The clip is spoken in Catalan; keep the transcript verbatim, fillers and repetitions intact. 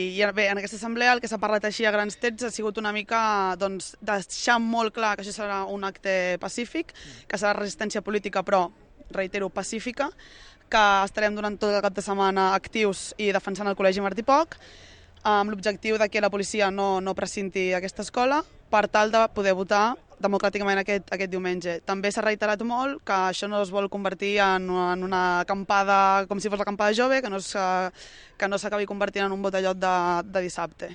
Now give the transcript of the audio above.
I bé, en aquesta assemblea el que s'ha parlat així a grans trets ha sigut una mica doncs, deixar molt clar que això serà un acte pacífic, que serà resistència política però, reitero, pacífica, que estarem durant tot el cap de setmana actius i defensant el Col·legi Martí Poch, amb l'objectiu de que la policia no, no precinti aquesta escola per tal de poder votar democràticament aquest, aquest diumenge. També s'ha reiterat molt que això no es vol convertir en una, en una acampada com si fos l'acampada jove, que no s'acabi convertint en un botellot de, de dissabte.